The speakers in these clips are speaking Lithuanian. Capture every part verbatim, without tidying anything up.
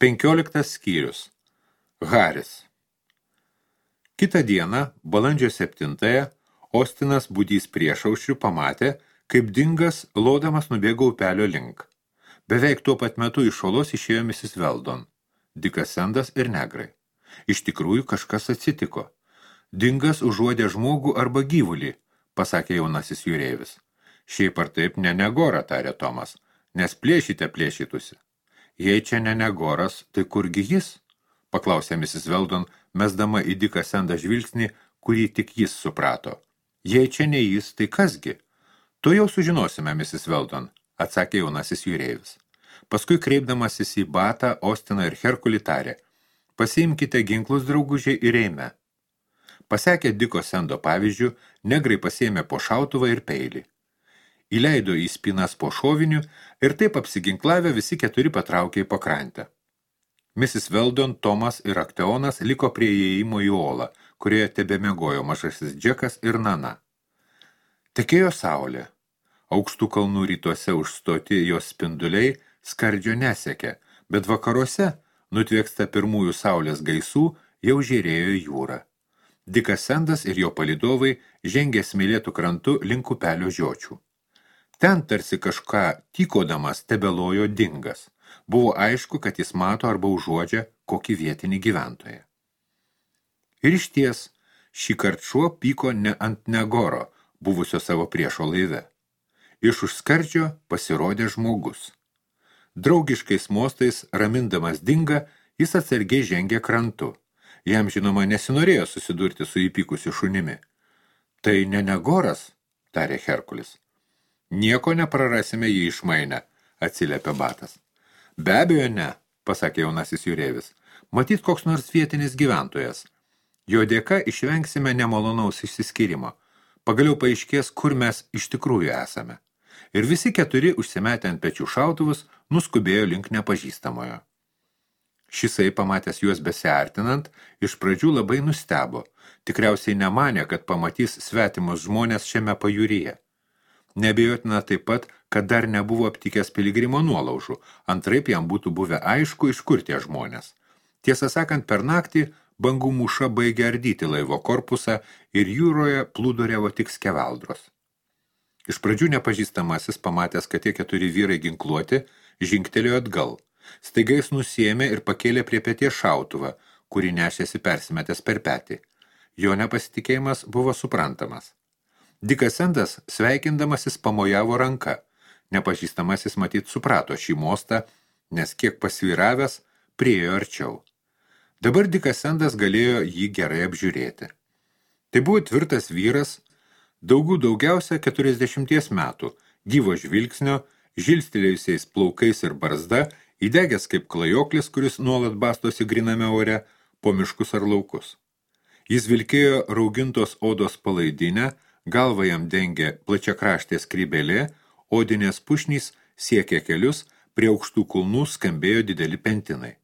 Penkioliktas skyrius. Haris. Kitą dieną, balandžio septintąją, Ostinas budys priešaušrių pamatė, kaip dingas lodamas nubėgo upelio link. Beveik tuo pat metu iš olos išėjo misis Weldon, Dikas Sendas ir negrai. Iš tikrųjų kažkas atsitiko. Dingas užuodė žmogų arba gyvulį, pasakė jaunasis jūreivis. Šiaip ar taip ne negora, tarė Tomas, nes plėšyte plėšytusi. Jei čia ne negoras, tai kurgi jis? Paklausė misis Weldon, mesdama į Diką Sendą žvilgsnį, kurį tik jis suprato. Jei čia ne jis, tai kasgi? To jau sužinosime, misis Weldon, atsakė jaunasis jūreivis. Paskui kreipdamasis į Batą, Ostiną ir Herkulį tarė, pasiimkite ginklus, draugužiai, ir eime. Pasekę Diko Sendo pavyzdžių, negrai pasiėmė po šautuvą ir peilį. Įleido į spynas po šovinių ir taip apsiginklavę visi keturi patraukė į pakrantę. misis Weldon, Tomas ir Akteonas liko prie įėjimo į olą, kurioje tebemiegojo mažasis Džekas ir Nana. Tekėjo saulė. Aukštų kalnų rytuose užstoti jos spinduliai skardžio nesekė, bet vakaruose, nutvėksta pirmųjų saulės gaisų, jau žėrėjo jūra. Dikas Sendas ir jo palydovai žengė smėlėtų krantu link upelio žiočių. Ten tarsi kažką tykodamas tebelojo dingas. Buvo aišku, kad jis mato arba užuodžia kokį vietinį gyventoją. Ir išties, šį kart šuo pyko ne ant negoro, buvusio savo priešo laive. Iš už skardžio pasirodė žmogus. Draugiškais mostais, ramindamas dingą, jis atsargiai žengė krantu. Jam, žinoma, nesinorėjo susidurti su įpykusiu šunimi. Tai ne negoras, tarė Herkulis. Nieko neprarasime jį išmainę, atsiliepė Batas. Be abejo ne, pasakė jaunasis jūreivis. Matyt, koks nors vietinis gyventojas. Jo dėka išvengsime nemalonaus išsiskyrimo. Pagaliau paaiškės, kur mes iš tikrųjų esame. Ir visi keturi, užsimetę ant pečių šautuvus, nuskubėjo link nepažįstamojo. Šisai, pamatęs juos besiartinant, iš pradžių labai nustebo. Tikriausiai nemanė, kad pamatys svetimus žmonės šiame pajūryje. Neabejotina taip pat, kad dar nebuvo aptikęs piligrimo nuolaužų, antraip jam būtų buvę aišku, iš kur tie žmonės. Tiesą sakant, per naktį bangų mūša baigė ardyti laivo korpusą ir jūroje plūduriavo tik skeveldros. Iš pradžių nepažįstamasis, pamatęs, kad tie keturi vyrai ginkluoti, žingtelėjo atgal. Staiga jis nusiėmė ir pakėlė prie peties šautuvą, kurį nešėsi persimetęs per petį. Jo nepasitikėjimas buvo suprantamas. Dikas Sendas, sveikindamasis, pamojavo ranka. Nepažįstamasis matyt suprato šį mostą, nes kiek pasvyravęs, priėjo arčiau. Dabar Dikas Sendas galėjo jį gerai apžiūrėti. Tai buvo tvirtas vyras, daugų daugiausia keturiasdešimties metų, gyvo žvilgsnio, žilstelėjusiais plaukais ir barzda, įdegęs kaip klajoklis, kuris nuolat bastosi griname ore, po miškus ar laukus. Jis vilkėjo raugintos odos palaidinę, galvą jam dengė plačiakraštė skrybelė, odinės pušnys siekė kelius, prie aukštų kulnų skambėjo dideli pentinai.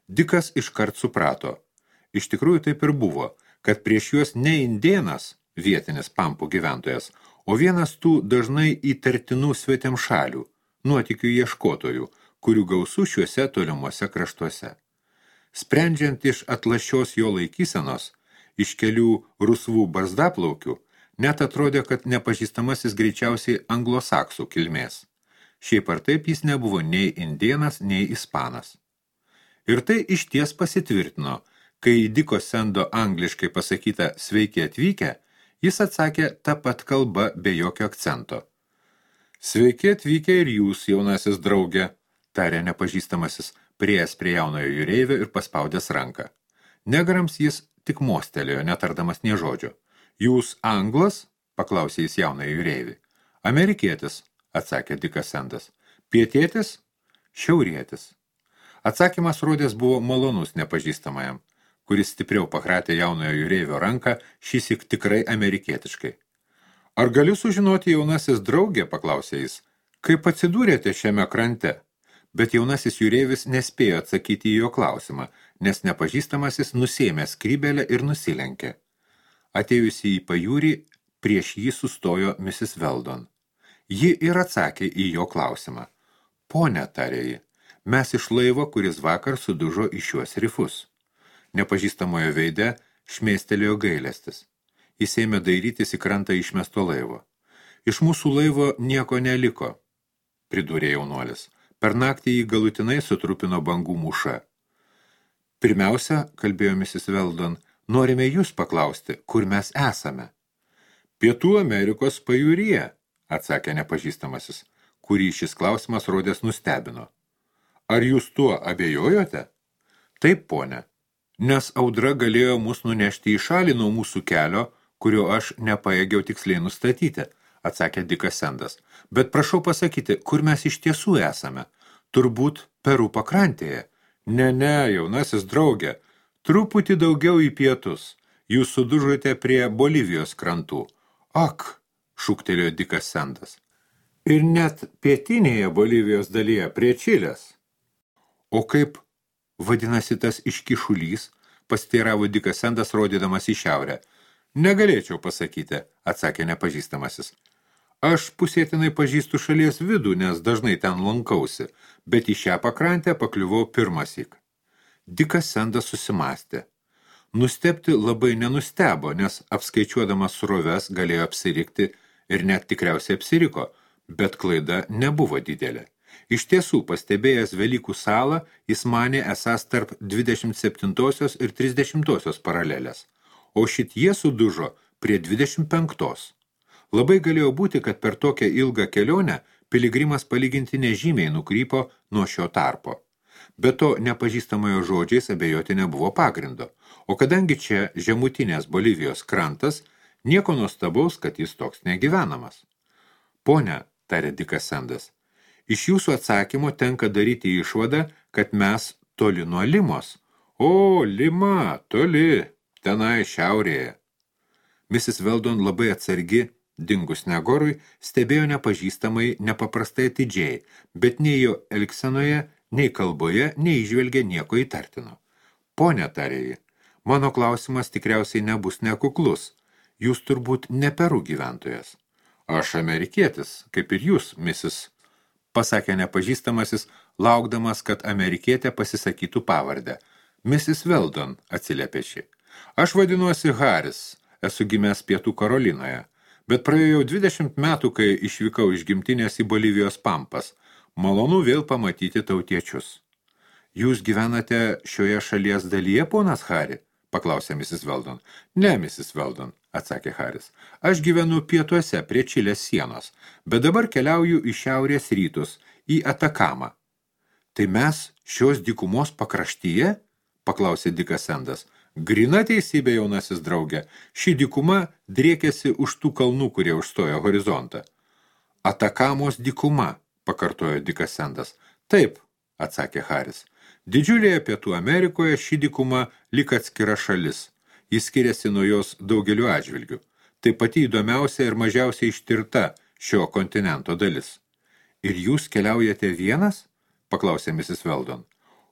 Dikas iškart suprato. Iš tikrųjų taip ir buvo, kad prieš juos ne indėnas, vietinis pampų gyventojas, o vienas tų dažnai įtartinų svetimšalių, nuotykių ieškotojų, kurių gausų šiuose tolimuose kraštuose. Sprendžiant iš atlašios jo laikysenos, iš kelių rusvų barzdaplaukių, net atrodė, kad nepažįstamasis greičiausiai anglosaksų kilmės. Šiaip ar taip jis nebuvo nei indėnas, nei ispanas. Ir tai išties pasitvirtino, kai į Diko Sendo angliškai pasakyta sveiki atvykę, jis atsakė tą pat kalbą be jokio akcento. Sveiki atvykę ir jūs, jaunasis draugė, tarė nepažįstamasis, prieės prie jaunojo jūreivio ir paspaudęs ranką. Negrams jis tik mostelėjo, netardamas nė žodžio. Jūs anglas? Paklausė jis jaunojo jūreivį. Amerikietis, atsakė Dikas Sendas. Pietietis? Šiaurietis. Atsakymas rodės buvo malonus nepažįstamajam, kuris stipriau pakratė jaunojo jūreivio ranką, šįsyk tikrai amerikietiškai. Ar galiu sužinoti, jaunasis draugė, paklausė jis, kaip atsidūrėte šiame krante? Bet jaunasis jūreivis nespėjo atsakyti į jo klausimą, nes nepažįstamasis nusėmė skrybelę ir nusilenkė. Atėjusi į pajūrį, prieš jį sustojo misis Weldon. Ji ir atsakė į jo klausimą. Pone, tarė ji, Mes iš laivo, kuris vakar sudužo į šiuos rifus. Nepažįstamojo veide šmėstelėjo gailestis. Jis ėmė dairytis į krantą išmesto laivo. Iš mūsų laivo nieko neliko, pridūrė jaunuolis. Per naktį jį galutinai sutrupino bangų mūša. Pirmiausia, kalbėjo misis Weldon, norime jūs paklausti, kur mes esame. Pietų Amerikos pajūryje, atsakė nepažįstamasis, kurį šis klausimas rodės nustebino. Ar jūs tuo abejojote? Taip, ponė, nes audra galėjo mus nunešti į šalį nuo mūsų kelio, kurio aš nepajėgiau tiksliai nustatyti, atsakė Dikas Sendas. Bet prašau pasakyti, kur mes iš tiesų esame? Turbūt Peru pakrantėje. Ne, ne, jaunasis draugė, truputį daugiau į pietus. Jūs sudužote prie Bolivijos krantų. Ak, šūktelėjo Dikas Sendas. Ir net pietinėje Bolivijos dalyje prie Čilės. O kaip vadinasi tas iškišulys, pasteiravo Dikas Sendas, rodydamas į šiaurę. Negalėčiau pasakyti, atsakė nepažįstamasis. Aš pusėtinai pažįstu šalies vidų, nes dažnai ten lankausi, bet į šią pakrantę pakliuvau pirmąsyk. Dikas Sendas susimastė. Nustebti labai nenustebo, nes apskaičiuodamas sroves galėjo apsirikti ir net tikriausiai apsiriko, bet klaida nebuvo didelė. Iš tiesų, pastebėjęs Velykų salą, jis manė esąs tarp dvidešimt septintosios ir trisdešimtosios paralelės, o šitie sudužo prie dvidešimt penktos. Labai galėjo būti, kad per tokią ilgą kelionę piligrimas palyginti nežymiai nukrypo nuo šio tarpo. Be to, nepažįstamojo žodžiais abejoti nebuvo pagrindo, o kadangi čia žemutinės Bolivijos krantas, nieko nuostabaus, kad jis toks negyvenamas. Pone, tarė Dikas Sendas, iš jūsų atsakymo tenka daryti išvadą, kad mes toli nuo Limos. O, Lima, toli, tenai šiaurėje. misis Weldon labai atsargi, dingus Negorui, stebėjo nepažįstamai nepaprastai atidžiai, bet nei jo elgsenoje, nei kalboje neįžvelgė nieko įtartino. Pone, tarė ji, mano klausimas tikriausiai nebus nekuklus. Jūs turbūt ne Peru gyventojas. Aš amerikietis, kaip ir jūs, misis, pasakė nepažįstamasis, laukdamas, kad amerikietė pasisakytų pavardę. misis Weldon, atsiliepė ši. Aš vadinuosi Haris, esu gimęs Pietų Karolinoje, bet praėjau dvidešimt metų, kai išvykau iš gimtinės į Bolivijos pampas. Malonu vėl pamatyti tautiečius. Jūs gyvenate šioje šalies dalyje, ponas Hari? Paklausė misis Weldon. Ne, misis Weldon, atsakė Haris. Aš gyvenu pietuose prie Čilės sienos, bet dabar keliauju į šiaurės rytus, į Atakamą. Tai mes šios dykumos pakraštyje? Paklausė Dikas Sendas. Grina teisybė, jaunasis draugė, ši dykuma driekėsi už tų kalnų, kurie užstojo horizontą. Atakamos dykuma, pakartojo Dikas Sendas. Taip, atsakė Haris. Didžiulėje Pietų Amerikoje ši dykuma lyg atskira šalis. Jis skiriasi nuo jos daugeliu atžvilgių. Tai pati įdomiausia ir mažiausiai ištirta šio kontinento dalis. Ir jūs keliaujate vienas? Paklausė misis Weldon.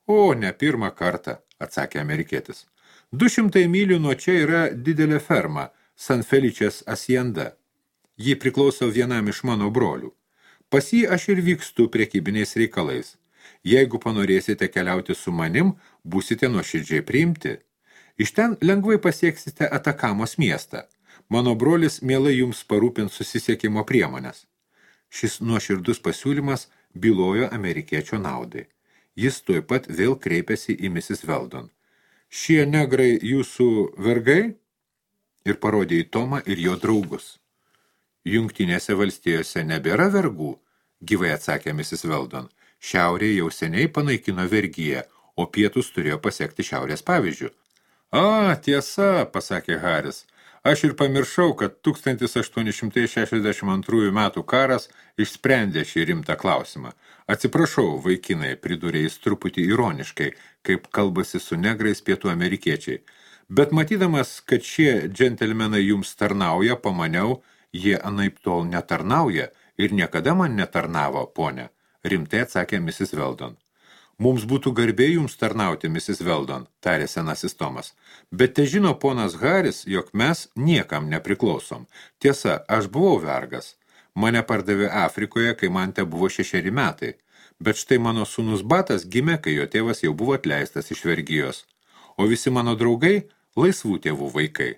O, ne pirmą kartą, atsakė amerikietis. Du šimtai mylių nuo čia yra didelė ferma, San Feličės Asienda. Ji priklauso vienam iš mano brolių. Pas jį aš ir vykstu prekybiniais reikalais. Jeigu panorėsite keliauti su manim, būsite nuoširdžiai priimti. Iš ten lengvai pasieksite Atakamos miestą. Mano brolis mielai jums parūpins susisiekimo priemonės. Šis nuoširdus pasiūlymas bylojo amerikiečio naudai. Jis tuoj pat vėl kreipėsi į misis Weldon. Šie negrai jūsų vergai? Ir parodė į Tomą ir jo draugus. Jungtinėse valstijose nebėra vergų, gyvai atsakė misis Weldon. Šiaurė jau seniai panaikino vergiją, o pietus turėjo pasiekti šiaurės pavyzdžių. A, tiesa, pasakė Haris. Aš ir pamiršau, kad tūkstantis aštuoni šimtai šešiasdešimt antrųjų metų karas išsprendė šį rimtą klausimą. Atsiprašau, vaikinai, pridūrė jis truputį ironiškai, kaip kalbasi su negrais pietų amerikiečiai. Bet matydamas, kad šie džentelmenai jums tarnauja, pamaniau, jie anaip tol netarnauja ir niekada man netarnavo, ponė, rimtai atsakė misis Weldon. Mums būtų garbė jums tarnauti, misis Weldon, tarė senasis Tomas. Bet te žino ponas Haris, jog mes niekam nepriklausom. Tiesa, aš buvau vergas. Mane pardavė Afrikoje, kai man te buvo šešeri metai. Bet štai mano sūnus Batas gimė, kai jo tėvas jau buvo atleistas iš vergijos, o visi mano draugai laisvų tėvų vaikai.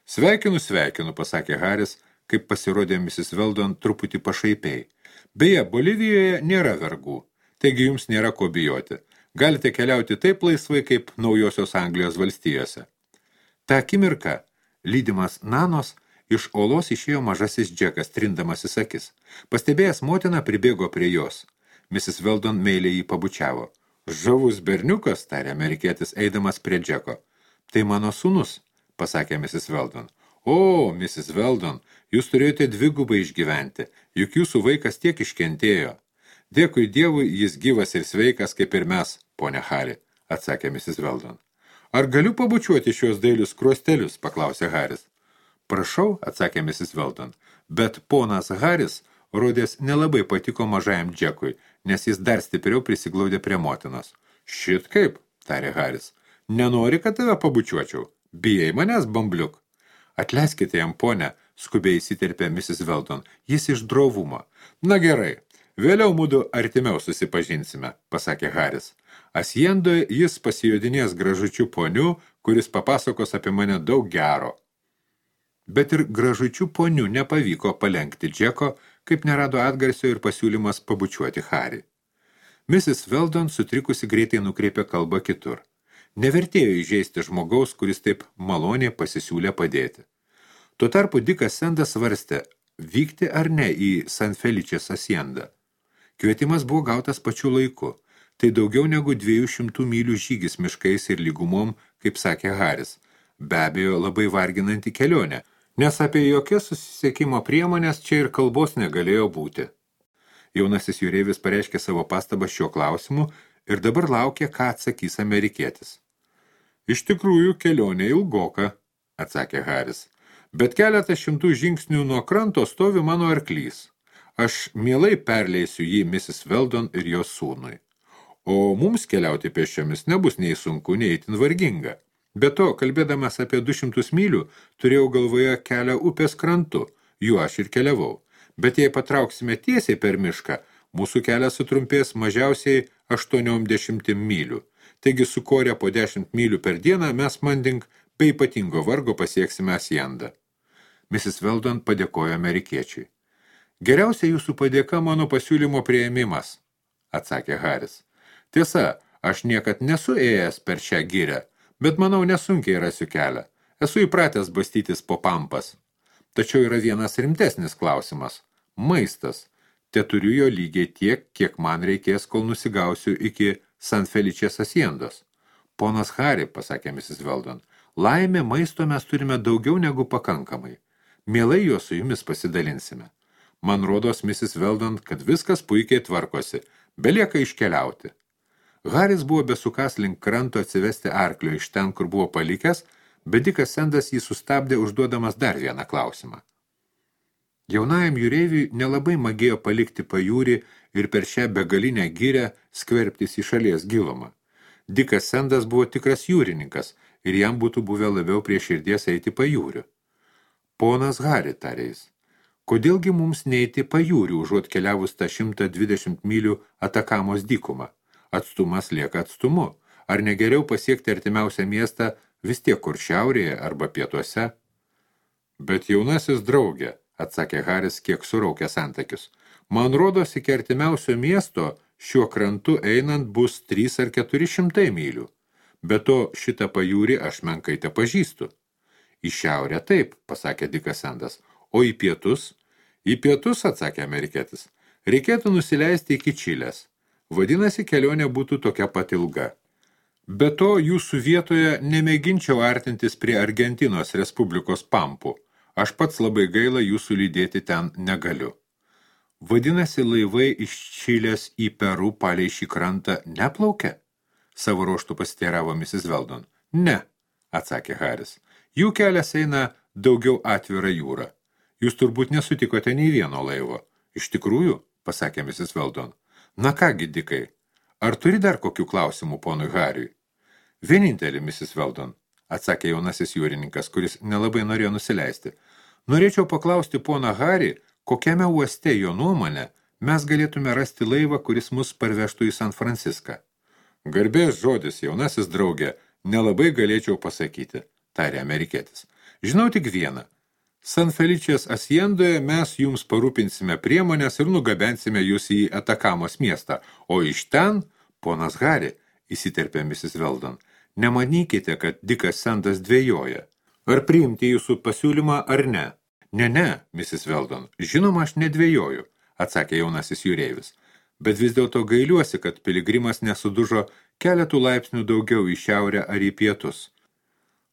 Sveikinu, sveikinu, pasakė Haris, kaip pasirodė misis Weldon truputį pašaipiai. Beje, Bolivijoje nėra vergų, taigi jums nėra ko bijoti. Galite keliauti taip laisvai, kaip Naujosios Anglijos valstijose. Ta akimirka, lydimas Nanos, iš olos išėjo mažasis Džekas, trindamasis akis. Pastebėjęs motiną pribėgo prie jos. misis Weldon meiliai jį pabučiavo. Žavus berniukas, tarė amerikietis, eidamas prie Džeko. Tai mano sūnus, pasakė misis Weldon. O, misis Weldon, jūs turėjote dvigubai išgyventi, juk jūsų vaikas tiek iškentėjo. Dėkui Dievui, jis gyvas ir sveikas, kaip ir mes, ponia Hari, atsakė misis Weldon. Ar galiu pabučiuoti šios dailius kruostelius, paklausė Haris. Prašau, atsakė misis Weldon, bet ponas Haris rodės nelabai patiko mažajam Džekui, nes jis dar stipriau prisiglaudė prie motinos. Šit kaip, tarė Haris, nenori, kad tave pabučiuočiau, bijai manęs, bambliuk. Atleiskite jam, ponia, skubiai įsiterpė misis Weldon, jis iš drovumo. Na gerai, vėliau mudu artimiau susipažinsime, pasakė Haris. Asiendoje jis pasijodinės gražučių ponių, kuris papasakos apie mane daug gero. Bet ir gražučių ponių nepavyko palenkti Džeko, kaip nerado atgarsio ir pasiūlymas pabučiuoti Harį. misis Weldon sutrikusi greitai nukreipė kalbą kitur. Nevertėjo įžeisti žmogaus, kuris taip maloniai pasisiūlė padėti. Tuo tarpu Dikas Sendas svarstė, vykti ar ne į San Feličės asiendą. Kvietimas buvo gautas pačiu laiku. Tai daugiau negu dviejų šimtų mylių žygis miškais ir lygumom, kaip sakė Haris. Be abejo, labai varginanti kelionė, nes apie jokias susisiekimo priemonės čia ir kalbos negalėjo būti. Jaunasis jūreivis pareiškė savo pastabą šiuo klausimu ir dabar laukė, ką atsakys amerikietis. Iš tikrųjų, kelionė ilgoka, atsakė Haris, bet keletą šimtų žingsnių nuo kranto stovi mano arklys. Aš mielai perleisiu jį misis Weldon ir jos sūnui. O mums keliauti pėsčiomis nebus nei sunku, nei itin varginga. Be to, kalbėdamas apie du šimtus mylių, turėjau galvoje kelią upės krantu, juo aš ir keliavau. Bet jei patrauksime tiesiai per mišką, mūsų kelias sutrumpės mažiausiai aštuoniom dešimtim mylių. Taigi sukorę po dešimt mylių per dieną mes manding be ypatingo vargo pasieksime asiendą. misis Weldon padėkojo amerikiečiui. Geriausia jūsų padėka mano pasiūlymo priėmimas, atsakė Haris. Tiesa, aš niekad nesu ėjęs per šią gyrę, bet manau nesunkiai rasiu kelią. Esu įpratęs bastytis po pampas. Tačiau yra vienas rimtesnis klausimas. Maistas. Te turiu jo lygiai tiek, kiek man reikės, kol nusigausiu iki San Feličės asiendos. Ponas Hari, pasakė misis Weldon, laimė maisto mes turime daugiau negu pakankamai. Mielai jo su jumis pasidalinsime. Man rodos, misis Weldon, kad viskas puikiai tvarkosi, belieka iškeliauti. Haris buvo besukas link kranto atsivesti arklio iš ten, kur buvo palikęs, bet Dikas Sendas jį sustabdė užduodamas dar vieną klausimą. Jaunajam jūreiviui nelabai magėjo palikti pajūrį ir per šią begalinę gyrę skverbtis į šalies gilumą. Dikas Sendas buvo tikras jūrininkas ir jam būtų buvę labiau prie širdies eiti pajūriu. Ponas Hari, tarė jis, kodėlgi mums neiti pajūriu, užuot keliavus tą šimtą dvidešimt mylių Atakamos dykumą? Atstumas lieka atstumu. Ar negeriau pasiekti artimiausią miestą vis tiek kur šiaurėje arba pietuose? Bet jaunasis draugė, atsakė Haris, kiek suraukęs antakius. Man rodos, iki artimiausio miesto šiuo krantu einant bus trys ar keturi šimtai mylių. Be to, šitą pajūrį aš menkai te pažįstu. Į šiaurę taip, pasakė Dikas Sendas. O į pietus? Į pietus, atsakė amerikietis. Reikėtų nusileisti iki Čilės. Vadinasi, kelionė būtų tokia pat ilga. Be to, jūsų vietoje nemėginčiau artintis prie Argentinos Respublikos pampų. Aš pats labai gaila jūsų lydėti ten negaliu. Vadinasi, laivai iš Čilės į Peru palei šį krantą neplaukia? Savo ruoštų pasiteiravo misis Weldon. Ne, atsakė Haris. Jų kelias eina daugiau atvira jūra. Jūs turbūt nesutikote nei vieno laivo. Iš tikrųjų, pasakė misis Weldon. Na kągi, Dikai, ar turi dar kokių klausimų ponui Hariui? Vienintelį, misis Weldon, atsakė jaunasis jūrininkas, kuris nelabai norėjo nusileisti. Norėčiau paklausti poną Harį, kokiame uoste jo nuomonė mes galėtume rasti laivą, kuris mus parvežtų į San Franciską. Garbės žodis, jaunasis draugė, nelabai galėčiau pasakyti, tarė amerikietis. Žinau tik vieną. San Feličės Asiendoje mes jums parūpinsime priemonės ir nugabensime jūs į Atakamos miestą, o iš ten, ponas Hari, įsiterpė misis Weldon, nemanykite, kad Dikas Sandas dvejoja. Ar priimti jūsų pasiūlymą ar ne? Ne, ne, misis Weldon, žinoma, aš nedvejoju, atsakė jaunasis jūreivis, bet vis dėlto gailiuosi, kad piligrimas nesudužo keletų laipsnių daugiau į šiaurę ar į pietus.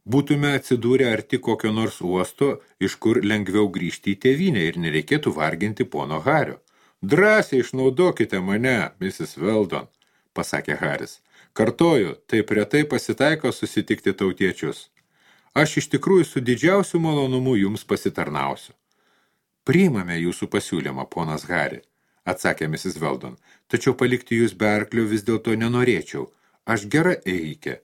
Būtume atsidūrę arti kokio nors uosto, iš kur lengviau grįžti į tėvynę ir nereikėtų varginti pono Hario. Drąsiai išnaudokite mane, misis Weldon, pasakė Haris. Kartoju, taip retai pasitaiko susitikti tautiečius. Aš iš tikrųjų su didžiausiu malonumu jums pasitarnausiu. Priimame jūsų pasiūlymą, ponas Hari, atsakė misis Weldon, tačiau palikti jūs be arklio vis dėlto nenorėčiau. Aš gera ėjikė.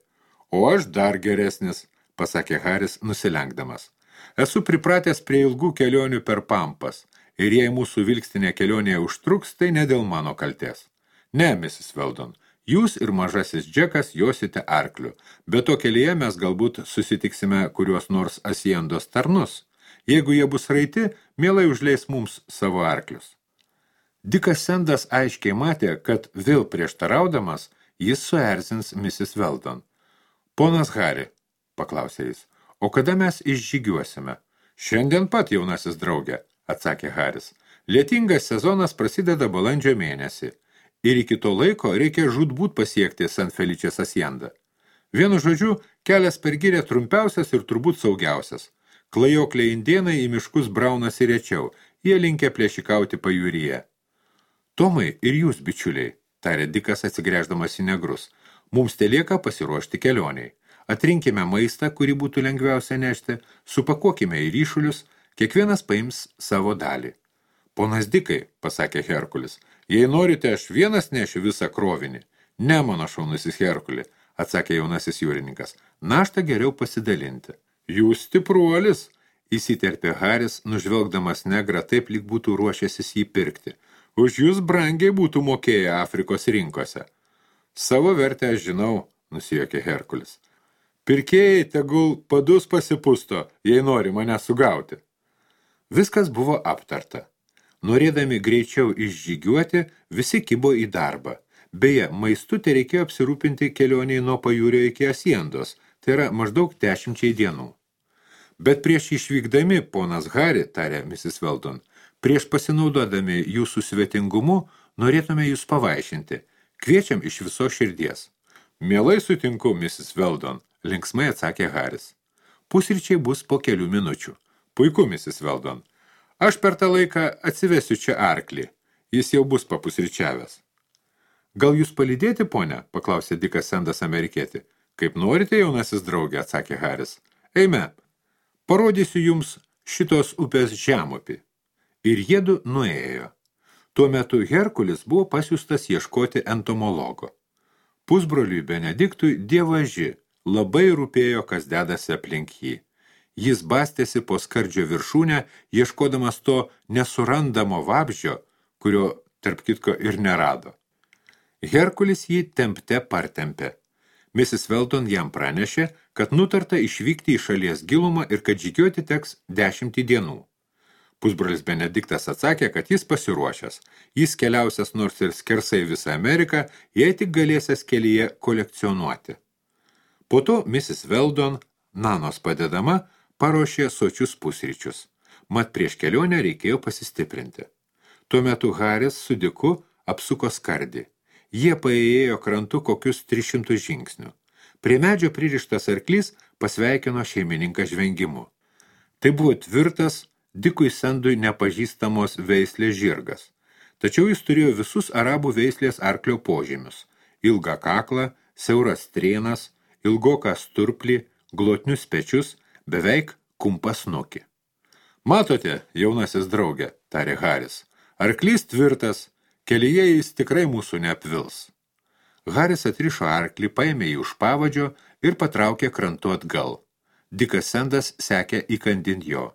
O aš dar geresnis, pasakė Haris nusilenkdamas. Esu pripratęs prie ilgų kelionių per pampas, ir jei mūsų vilkstinė kelionėje užtruks, tai ne dėl mano kaltės. Ne, misis Weldon, jūs ir mažasis Džekas josite arkliu, bet to kelyje mes galbūt susitiksime kuriuos nors Asiendos tarnus. Jeigu jie bus raiti, mielai užleis mums savo arklius. Dikas Sandas aiškiai matė, kad vėl prieštaraudamas jis suerzins misis Weldon. Ponas Hari, paklausė jis, o kada mes išžygiuosime? Šiandien pat, jaunasis draugė, atsakė Haris. Lietingas sezonas prasideda balandžio mėnesį. Ir iki to laiko reikia žūtbūt pasiekti San Feličės Asiendą. Vienu žodžiu, kelias per girią trumpiausias ir turbūt saugiausias. Klajokliai indėnai į miškus braunasi rečiau, jie linkę plėšikauti pajūryje. Tomai ir jūs, bičiuliai, tarė Dikas atsigręždamas į negrus, mums telieka pasiruošti kelioniai. Atrinkime maistą, kurį būtų lengviausia nešti, supakuokime į ryšulius, kiekvienas paims savo dalį. Ponas Dikai, pasakė Herkulis, jei norite, aš vienas nešiu visą krovinį. Ne, mano šaunusis Herkuli, atsakė jaunasis jūrininkas, naštą geriau pasidalinti. Jūs stipruolis, įsiterpė Haris, nužvelgdamas negrą taip, lyg būtų ruošęsis jį pirkti. Už jūs brangiai būtų mokėję Afrikos rinkose. Savo vertę aš žinau, nusijuokė Herkulis. Pirkėjai tegul padus pasipusto, jei nori mane sugauti. Viskas buvo aptarta. Norėdami greičiau išžygiuoti, visi kibo į darbą. Beje, maistu te reikėjo apsirūpinti kelioniai nuo pajūrio iki Asiendos, tai yra maždaug dešimčiai dienų. Bet prieš išvykdami, ponas Hari, tarė misis Weldon, prieš pasinaudodami jūsų svetingumu, norėtume jūs pavaišinti. Kviečiam iš viso širdies. Mielai sutinku, misis Weldon, linksmai atsakė Haris. Pusryčiai bus po kelių minučių. Puiku, misis Weldon. Aš per tą laiką atsivesiu čia arklį. Jis jau bus papusryčiavęs. Gal jūs palydėti, ponia? Paklausė Dikas Sandas amerikietį. Kaip norite, jaunasis draugė, atsakė Haris. Eime, parodysiu jums šitos upės žemupį. Ir jiedu nuėjo. Tuo metu Herkulis buvo pasiųstas ieškoti entomologo. Pusbroliui Benediktui dievaži labai rūpėjo, kas dedasi aplink jį. Jis bastėsi po skardžio viršūnę, ieškodamas to nesurandamo vabzdžio, kurio, tarp kitko, ir nerado. Herkulis jį tempte partempė. misis Weldon jam pranešė, kad nutarta išvykti į šalies gilumą ir kad žygiuoti teks dešimtį dienų. Pusbrolis Benediktas atsakė, kad jis pasiruošęs. Jis keliausias nors ir skersai visą Ameriką, jei tik galėsės kelyje kolekcionuoti. Po to misis Weldon, Nanos padedama, paruošė sočius pusryčius. Mat prieš kelionę reikėjo pasistiprinti. Tuo metu Haris su Diku apsuko skardį. Jie paėjo krantu kokius tris šimtus žingsnių. Prie medžio pririštas arklys pasveikino šeimininką žvengimu. Tai buvo tvirtas, Dikui Sandui nepažįstamos veislės žirgas. Tačiau jis turėjo visus arabų veislės arklio požymius. Ilgą kaklą, siauras strėnas, ilgoką sturplį, glotnius pečius, beveik kumpas snukį. Matote, jaunasis draugė, tarė Haris, arklys tvirtas, kelyje jis tikrai mūsų neapvils. Haris atrišo arklį, paėmė jį už pavadžio ir patraukė krantu atgal. Dikas Sandas sekė įkandin jo.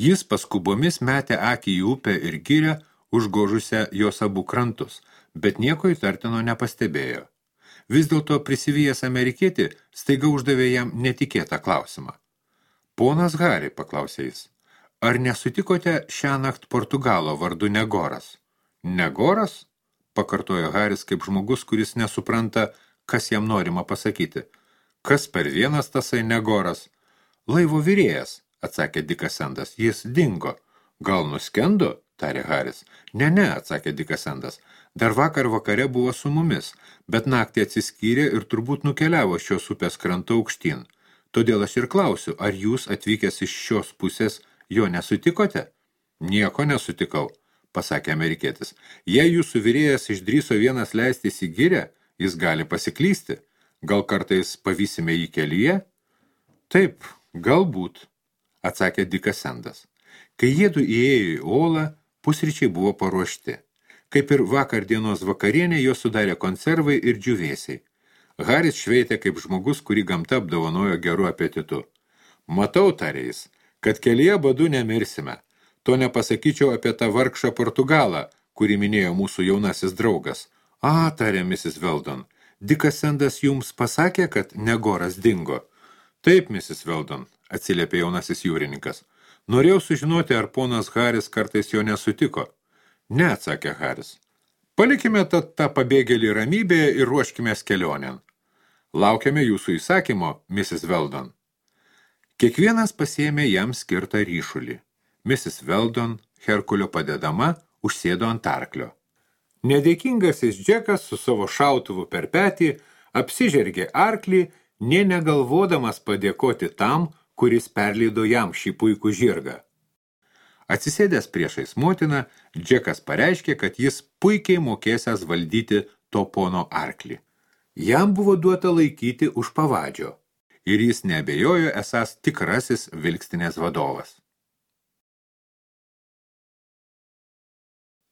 Jis paskubomis metė akį į upę ir girią, užgožusią jos abu krantus, bet nieko įtartino nepastebėjo. Vis dėlto prisivijęs amerikietį staiga uždavė jam netikėtą klausimą. Ponas Hari, paklausė jis, ar nesutikote šiąnakt Portugalo vardu Negoras? Negoras? Pakartojo Haris kaip žmogus, kuris nesupranta, kas jam norima pasakyti. Kas per vienas tasai Negoras? Laivo virėjas, atsakė Dikas Sendas, jis dingo. Gal nuskendo, tarė Haris. Ne, ne, atsakė Dikas Sendas. Dar vakar vakare buvo su mumis, bet naktį atsiskyrė ir turbūt nukeliavo šios upės kranto aukštyn. Todėl aš ir klausiu, ar jūs atvykęs iš šios pusės jo nesutikote? Nieko nesutikau, pasakė amerikietis. Jei jūsų virėjas išdryso vienas leistis į girią, jis gali pasiklysti. Gal kartais pavysime jį kelyje? Taip, galbūt, atsakė Dikas Sendas. Kai jiedu įėjo į olą, pusryčiai buvo paruošti. Kaip ir vakar dienos vakarienė, jo sudarė konservai ir džiūvėsiai. Haris šveitė kaip žmogus, kurį gamta apdovanojo geru apetitu. Matau, tarė jis, kad kelyje badu nemirsime. To nepasakyčiau apie tą vargšą Portugalą, kurį minėjo mūsų jaunasis draugas. A, tarė misis Weldon, Dikas Sendas jums pasakė, kad Negoras dingo. Taip, misis Weldon, atsiliepė jaunasis jūrininkas. Norėjau sužinoti, ar ponas Haris kartais jo nesutiko. Ne, atsakė Haris. Palikime tą, tą pabėgėlį ramybėje ir ruoškime kelionėn. Laukiame jūsų įsakymo, misis Weldon. Kiekvienas pasiėmė jam skirtą ryšulį. misis Weldon, Herkulio padedama, užsėdo ant arklio. Nedėkingasis Džekas su savo šautuvu per petį apsižergė arklį, nė negalvodamas padėkoti tam, kuris perleido jam šį puikų žirgą. Atsisėdęs priešais motiną, Džekas pareiškė, kad jis puikiai mokėsęs valdyti to pono arklį. Jam buvo duota laikyti už pavadžio ir jis neabejojo esąs tikrasis vilkstinės vadovas.